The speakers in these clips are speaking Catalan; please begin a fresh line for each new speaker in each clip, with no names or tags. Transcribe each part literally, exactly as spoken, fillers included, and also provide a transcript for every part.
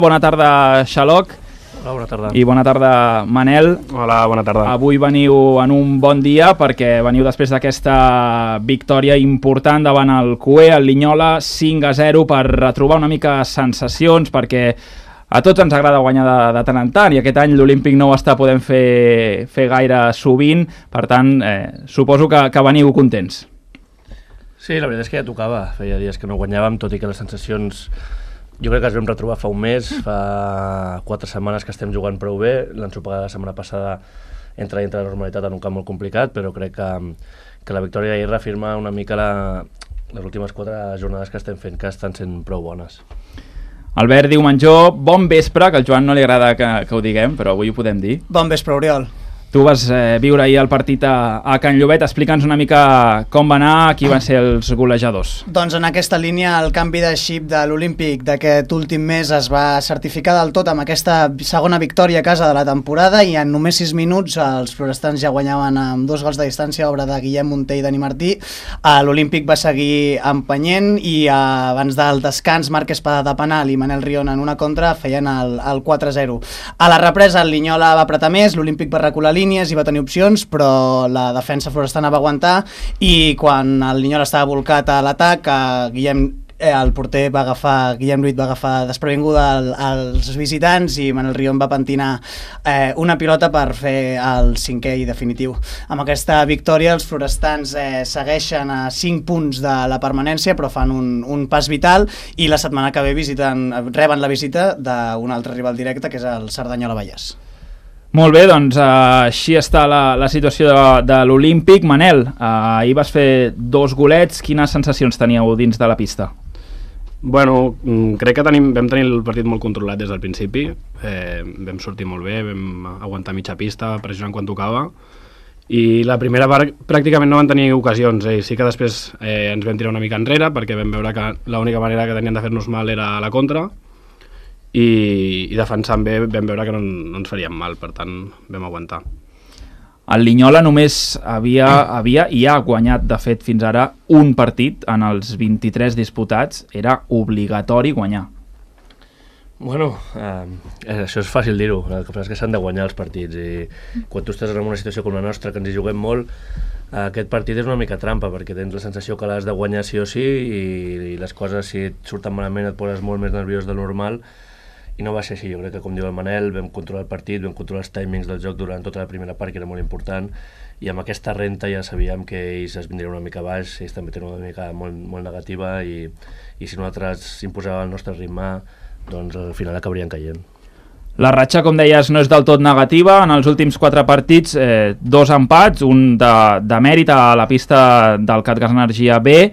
Bona tarda, Xaloc.
Hola, bona tarda.
I bona tarda, Manel.
Hola, bona tarda.
Avui veniu en un bon dia perquè veniu després d'aquesta victòria important davant el C U E, el Linyola, cinc a zero, per retrobar una mica sensacions, perquè a tots ens agrada guanyar de, de tant en tant, i aquest any l'Olímpic no ho està podent fer, fer gaire sovint, per tant, eh, suposo que, que veniu contents.
Sí, la veritat és que ja tocava. Feia dies que no guanyàvem, tot i que les sensacions jo crec que es vam retrobar fa un mes, fa quatre setmanes que estem jugant prou bé, l'ensopegada la setmana passada entra dintre de la normalitat en un camp molt complicat, però crec que, que la victòria d'ahir reafirma una mica la, les últimes quatre jornades que estem fent, que estan sent prou bones.
Albert Diumenjó, bon vespre, que al Joan no li agrada que, que ho diguem, però avui ho podem dir.
Bon vespre, Oriol.
Tu vas eh, viure ahir el partit a, a Can Llobet. Explica'ns una mica com va anar, qui van ser els golejadors.
Doncs en aquesta línia el canvi de xip de l'Olímpic d'aquest últim mes es va certificar del tot amb aquesta segona victòria a casa de la temporada, i en només sis minuts els florestans ja guanyaven amb dos gols de distància, obra de Guillem Munté i Dani Martí. L'Olímpic va seguir empenyent i abans del descans Marc Espada de penal i Manel Rion en una contra feien el, el quatre a zero. A la represa el Linyola va apretar més, l'Olímpic va recular línies i va tenir opcions, però la defensa florestana va aguantar, i quan el Linyola estava volcat a l'atac, Guillem, eh, el porter va agafar, Guillem Lluit va agafar desprevinguda el, els visitants, i Manel Rion va pentinar eh, una pilota per fer el cinquè i definitiu. Amb aquesta victòria els florestans eh, segueixen a cinc punts de la permanència, però fan un, un pas vital, i la setmana que ve visiten, reben la visita d'un altre rival directe, que és el Cerdanyola Vallès.
Molt bé, doncs eh, així està la, la situació de, de l'Olímpic. Manel, eh, ahir vas fer dos golets, quines sensacions teníeu dins de la pista?
Bueno, crec que tenim, vam tenir el partit molt controlat des del principi, eh, vam sortir molt bé, vam aguantar mitja pista, pressionant quan tocava, i la primera part pràcticament no van tenir ocasions, eh, sí que després eh, ens vam tirar una mica enrere perquè vam veure que l'única manera que tenien de fer-nos mal era a la contra, i, i defensant bé vam veure que no, no ens faríem mal, per tant vam aguantar.
El Linyola només havia, havia i ha guanyat de fet fins ara un partit en els vint-i-tres disputats. Era obligatori guanyar.
Bueno, eh, això és fàcil dir-ho, el que passa és que s'han de guanyar els partits, i quan tu estàs en una situació com la nostra, que ens hi juguem molt, eh, aquest partit és una mica trampa, perquè tens la sensació que l'has de guanyar sí o sí, i, i les coses, si et surten malament, et poses molt més nerviós del normal, i no va ser així. Jo crec que, com diu el Manel, vam controlar el partit, vam controlar els timings del joc durant tota la primera part, que era molt important, i amb aquesta renta ja sabíem que ells es vindrien una mica baix, ells també tenen una mica molt, molt negativa, i, i si nosaltres imposàvem el nostre ritme, doncs al final acabarien caient.
La ratxa, com deies, no és del tot negativa. En els últims quatre partits, eh, dos empats, un de, de mèrit a la pista del CatGas Energia B,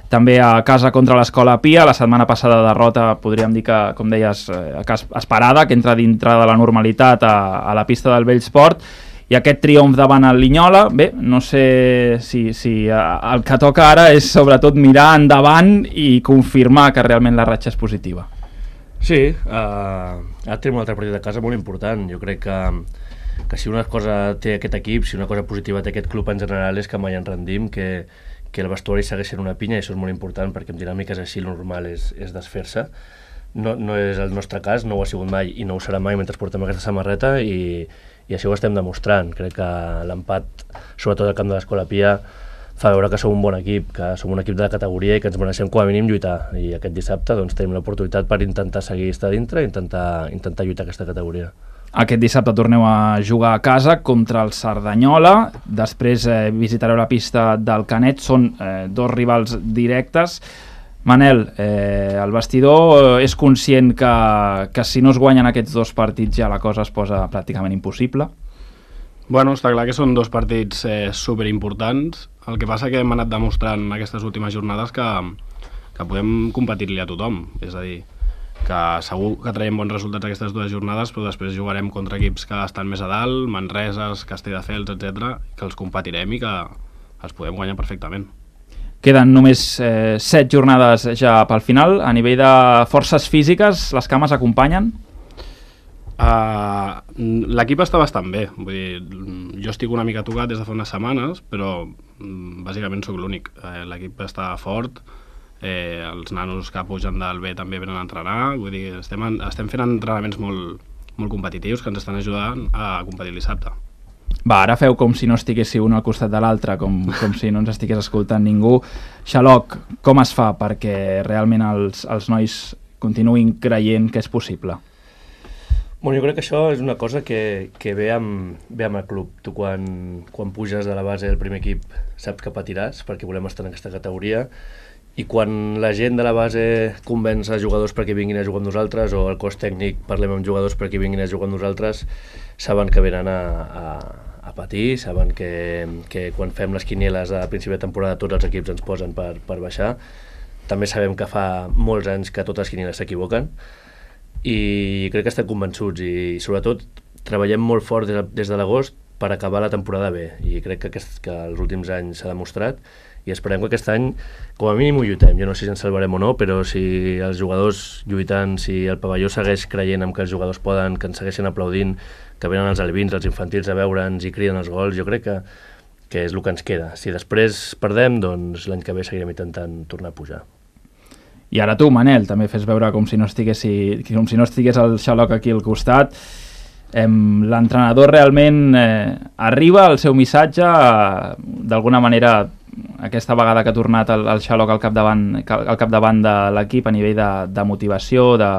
també a casa contra l'Escola Pia. La setmana passada derrota, podríem dir que, com deies, eh, esperada, que entra dintre de la normalitat a, a la pista del Bellsport, i aquest triomf davant el Linyola. Bé, no sé si, si el que toca ara és sobretot mirar endavant i confirmar que realment la ratxa és positiva.
Sí, uh, ara tenim un altre partit de casa molt important. Jo crec que, que si una cosa té aquest equip, si una cosa positiva té aquest club en general, és que mai ens rendim, que que el vestuari segueix sent una pinya, i això és molt important, perquè amb dinàmiques així el normal és, és desfer-se. No, no és el nostre cas, no ho ha sigut mai i no ho serà mai mentre portem aquesta samarreta, i, i això ho estem demostrant. Crec que l'empat, sobretot al camp de l'Escola Pia, fa veure que som un bon equip, que som un equip de la categoria i que ens mereixem com a mínim lluitar, i aquest dissabte doncs, tenim l'oportunitat per intentar seguir estar dintre i intentar, intentar lluitar aquesta categoria.
Aquest dissabte torneu a jugar a casa contra el Cerdanyola, després eh, visitareu la pista del Canet, són eh, dos rivals directes. Manel, eh, el vestidor és conscient que, que si no es guanyen aquests dos partits ja la cosa es posa pràcticament impossible?
Bueno, està clar que són dos partits eh, superimportants. El que passa que hem anat demostrant aquestes últimes jornades que, que podem competir-li a tothom, és a dir, que segur que traiem bons resultats aquestes dues jornades, però després jugarem contra equips que estan més a dalt, Manreses, Castelldefels, etcètera, que els competirem i que els podem guanyar perfectament.
Queden només eh, set jornades ja pel final. A nivell de forces físiques, les cames acompanyen?
Uh, l'equip està bastant bé. Vull dir, jo estic una mica tocat des de fa unes setmanes, però bàsicament sóc l'únic. Uh, l'equip està fort, eh, els nanos que pugen del B també venen a entrenar, vull dir, estem, en, estem fent entrenaments molt, molt competitius que ens estan ajudant a competir el dissabte.
Va, ara feu com si no estiguessi un al costat de l'altre, com, com si no ens estigués escoltant ningú. Xaloc, com es fa perquè realment els, els nois continuïn creient que és possible?
Bueno, jo crec que això és una cosa que, que ve, amb, ve amb el club. Tu quan, quan puges de la base del primer equip saps que patiràs perquè volem estar en aquesta categoria, i quan la gent de la base convenç a jugadors perquè vinguin a jugar amb nosaltres, o el cos tècnic parlem amb jugadors perquè vinguin a jugar amb nosaltres, saben que venen a, a, a patir, saben que, que quan fem les quinieles a principi de temporada tots els equips ens posen per, per baixar. També sabem que fa molts anys que totes les quinieles s'equivoquen, i crec que estem convençuts, i sobretot treballem molt fort des de, des de l'agost per acabar la temporada bé, i crec que, aquest, que els últims anys s'ha demostrat, i esperem que aquest any com a mínim ho lluitem. Jo no sé si ens salvarem o no, però si els jugadors lluitant, si el pavelló segueix creient en que els jugadors poden, que ens segueixen aplaudint, que venen els alevins, els infantils a veure'ns i criden els gols, jo crec que, que és el que ens queda. Si després perdem, doncs l'any que ve seguirem intentant tornar a pujar.
I ara tu, Manel, també fes veure com si no estiguessi, com si no estigués el Xaloc aquí al costat. Eh, l'entrenador realment eh, arriba al seu missatge, eh, d'alguna manera aquesta vegada que ha tornat el, el Xaloc al capdavant, al capdavant de l'equip a nivell de, de motivació, de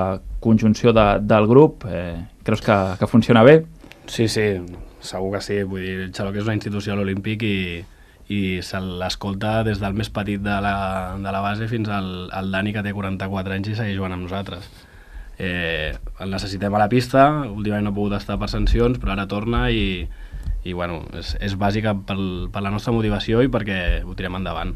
conjunció de, del grup, eh, creus que, que funciona bé?
Sí, sí, segur que sí. Vull dir, el Xaloc és una institució a l'Olímpic i i se l'escolta des del més petit de la, de la base fins al, al Dani, que té quaranta-quatre anys i segueix jugant amb nosaltres. Eh, el necessitem a la pista, últimament no ha pogut estar per sancions, però ara torna i, i bueno, és, és bàsica per, per la nostra motivació i perquè ho tirem endavant.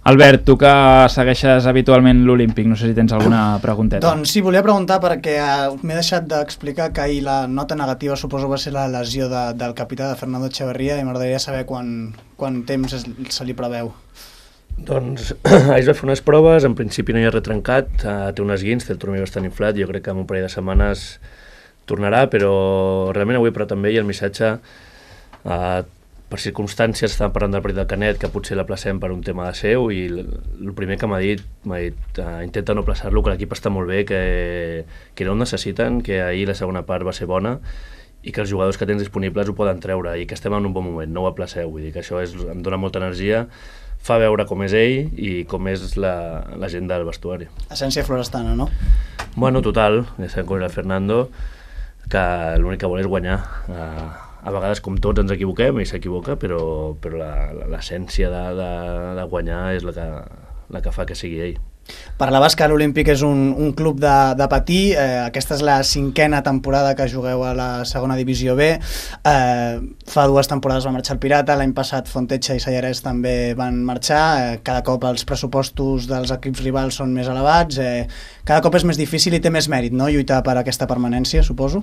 Albert, tu que segueixes habitualment l'Olímpic, no sé si tens alguna pregunteta.
Doncs sí, volia preguntar perquè uh, m'he deixat d'explicar que ahir la nota negativa suposo va ser la lesió de, del capità de Fernando Echeverría, i m'agradaria saber quan, quan temps es, se li preveu.
Doncs ahir es va fer unes proves, en principi no hi ha res trencat, uh, té un esguins, té el turmell bastant inflat, jo crec que en un parell de setmanes tornarà, però realment avui però també hi ha el missatge, uh, per circumstàncies estàvem parlant del partit del Canet, que potser l'aplacem per un tema de seu, i el primer que m'ha dit, m'ha dit uh, intenta no aplaçar-lo, que l'equip està molt bé, que, que no el necessiten, que ahir la segona part va ser bona i que els jugadors que tens disponibles ho poden treure i que estem en un bon moment, no ho aplaceu, vull dir que això és, em dona molta energia, fa veure com és ell i com és la, la gent del vestuari.
Essència florestana, no?
Bueno, total, ja sabem com és el Fernando, que l'únic que vol és guanyar. Uh, a vegades com tots ens equivoquem, ell s'equivoca, però, però l'essència de, de, de guanyar és la que, la que fa que sigui ell.
Parlaves que l'Olímpic és un, un club de, de patir, eh, aquesta és la cinquena temporada que jugueu a la segona divisió B, eh, fa dues temporades va marxar el Pirata, l'any passat Fontetxa i Sallarès també van marxar, eh, cada cop els pressupostos dels equips rivals són més elevats, eh, cada cop és més difícil i té més mèrit, no?, lluitar per aquesta permanència, suposo?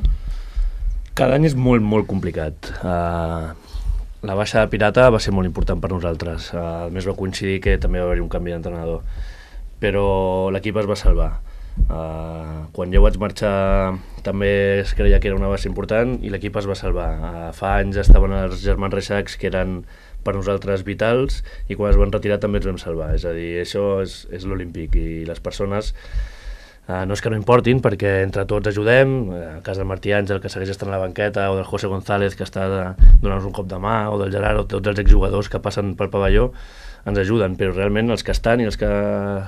Cada any és molt, molt complicat. Uh, la baixa de Pirata va ser molt important per nosaltres, uh, a més va coincidir que també va haver-hi un canvi d'entrenador, però l'equip es va salvar. Uh, quan jo vaig marxar també es creia que era una base important i l'equip es va salvar. Uh, fa anys estaven els germans Reixacs, que eren per nosaltres vitals, i quan es van retirar també ens vam salvar. És a dir, això és, és l'Olímpic, i les persones uh, no és que no importin, perquè entre tots ajudem. El cas del Martí Àngel, que segueix estant a la banqueta, o del José González, que està donant-nos un cop de mà, o del Gerard, o tots els exjugadors que passen pel pavelló, ens ajuden, però realment els que estan i els que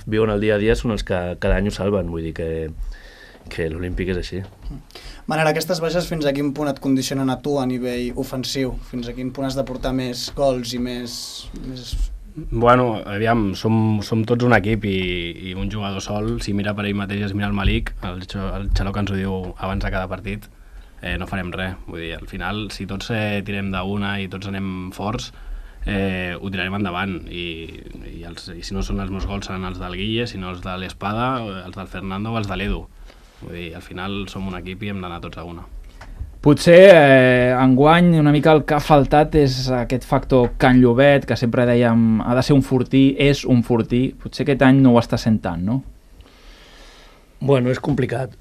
viuen el dia a dia són els que cada any ho salven, vull dir que, que l'Olímpic és així.
Manel, aquestes baixes fins a quin punt et condicionen a tu a nivell ofensiu? Fins a quin punt has de portar més gols i més... més...
Bueno, aviam, som, som tots un equip i, i un jugador sol, si mira per ell mateix es mira el Malik, el, el Xaloc ens ho diu abans de cada partit, eh, no farem res. Vull dir, al final, si tots eh, tirem d'una i tots anem forts, Eh, ho tirarem endavant, i, i, els, i si no són els meus gols seran els del Guille, si no els de l'Espada, els del Fernando o els de l'Edu. Vull dir, al final som un equip i hem d'anar tots a una.
Potser eh, enguany una mica el que ha faltat és aquest factor Can Llobet, que sempre dèiem ha de ser un fortí, és un fortí, potser aquest any no ho està sent tant, no?
Bueno, és complicat.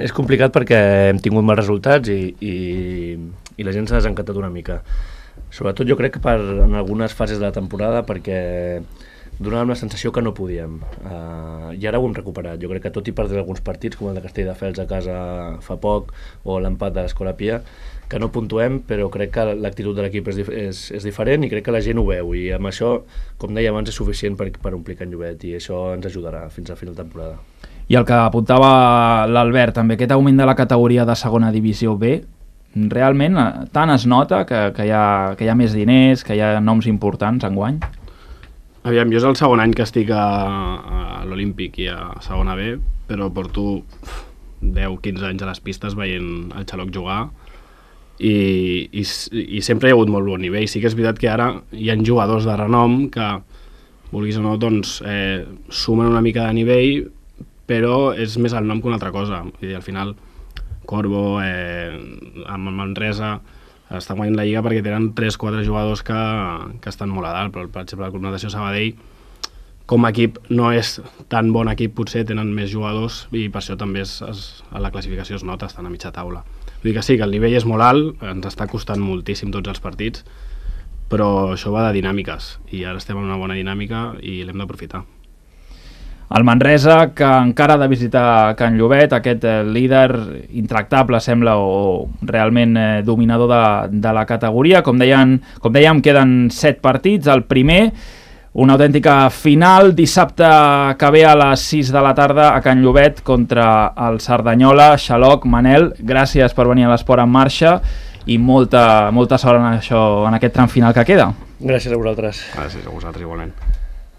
És complicat perquè hem tingut mals resultats i, i, i la gent s'ha desencantat una mica. Sobretot jo crec que per, en algunes fases de la temporada, perquè donàvem la sensació que no podíem. Uh, I ara ho hem recuperat. Jo crec que tot i perdre alguns partits, com el de Castelldefels a casa fa poc, o l'empat de l'Escola Pia, que no puntuem, però crec que l'actitud de l'equip és, és, és diferent i crec que la gent ho veu, i amb això, com deia abans, és suficient per, per omplir Can Llobet, i això ens ajudarà fins a final de temporada.
I el que apuntava l'Albert, també aquest augment de la categoria de segona divisió B, realment tant es nota que, que, hi ha, que hi ha més diners, que hi ha noms importants enguany?
Aviam, jo és el segon any que estic a, a l'Olímpic i a segona B, però porto deu quinze anys a les pistes veient el Xaloc jugar i, i, i sempre hi ha hagut molt bon nivell. Sí que és veritat que ara hi ha jugadors de renom que, vulguis o no, doncs, eh, sumen una mica de nivell, però és més el nom que una altra cosa. I al final Corbo, eh, amb Manresa, estan guanyant la Lliga perquè tenen tres quatre jugadors que, que estan molt a dalt, però per exemple el Club Natació Sabadell com a equip no és tan bon equip, potser tenen més jugadors i per això també es, es, a la classificació es nota, estan a mitja taula. Vull dir que sí, que el nivell és molt alt, ens està costant moltíssim tots els partits, però això va de dinàmiques i ara estem en una bona dinàmica i l'hem d'aprofitar.
El Manresa, que encara ha de visitar Can Llobet, aquest eh, líder intractable sembla, o realment eh, dominador de, de la categoria. Com, deien, com dèiem, queden set partits. El primer, una autèntica final, dissabte que ve a les sis de la tarda a Can Llobet contra el Cerdanyola. Xaloc, Manel, gràcies per venir a l'Esport en Marxa i molta, molta sort en, això, en aquest tram final que queda.
Gràcies a vosaltres.
Gràcies a vosaltres igualment.